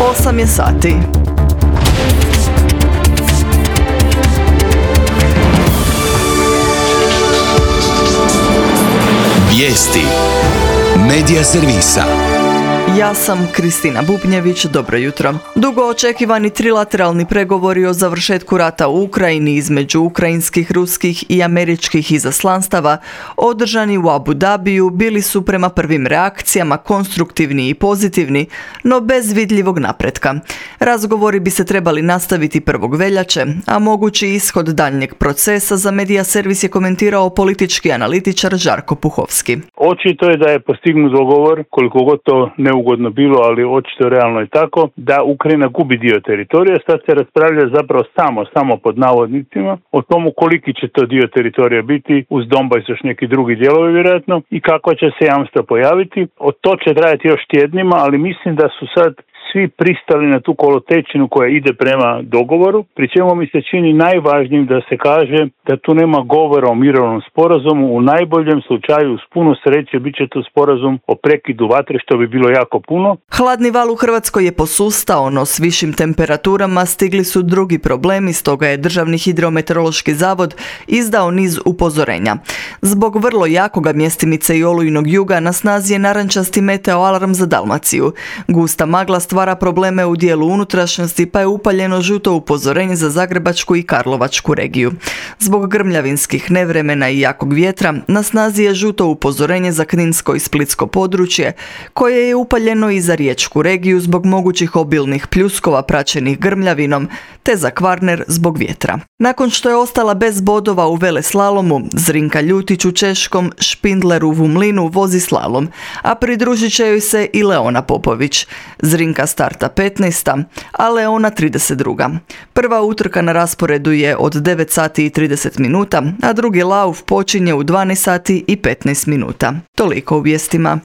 8 je sati. Vijesti Medija servisa. Ja sam Kristina Bubnjević, dobro jutro. Dugo očekivani trilateralni pregovori o završetku rata u Ukrajini između ukrajinskih, ruskih i američkih izaslanstava održani u Abu Dhabiju bili su prema prvim reakcijama konstruktivni i pozitivni, no bez vidljivog napretka. Razgovori bi se trebali nastaviti 1. veljače, a mogući ishod daljnjeg procesa za Medija servis je komentirao politički analitičar Žarko Puhovski. Očito je da je postignut dogovor, koliko god to neugodno bilo, ali očito realno je tako, da Ukrajina gubi dio teritorija. Sad se raspravlja zapravo samo pod navodnicima o tomu koliki će to dio teritorija biti, uz Donbas još neki drugi dijelovi vjerojatno, i kako će se jamstva pojaviti. To će trajati još tjednima, ali mislim da su sad svi pristali na tu kolotečinu koja ide prema dogovoru, pri čemu mi se čini najvažnijim da se kaže da tu nema govora o mirovnom sporazumu. U najboljem slučaju, uz puno sreće, bit će to sporazum o prekidu vatre, što bi bilo jako puno. Hladni val u Hrvatskoj je posustao, no s višim temperaturama stigli su drugi problemi, stoga je Državni hidrometeorološki zavod izdao niz upozorenja. Zbog vrlo jakoga mjestimice i olujnog juga na snazi je narančasti meteo alarm za Dalmaciju. Gusta magla stvara probleme u dijelu unutrašnjosti, pa je upaljeno žuto upozorenje za Zagrebačku i Karlovačku regiju. Zbog grmljavinskih nevremena i jakog vjetra na snazi je žuto upozorenje za Kninsko i Splitsko područje, koje je upaljeno i za Riječku regiju zbog mogućih obilnih pljuskova praćenih grmljavinom, te za Kvarner zbog vjetra. Nakon što je ostala bez bodova u veleslalomu, Zrinka Ljutić u Češkom, Špindler u Vumlinu vozi slalom, a pridružit će joj se i Leona Popović. Zrinka starta 15. a Leona 32. Prva utrka na rasporedu je od 9 sati i 30 minuta, a drugi lauf počinje u 12 sati i 15 minuta. Toliko u vijestima.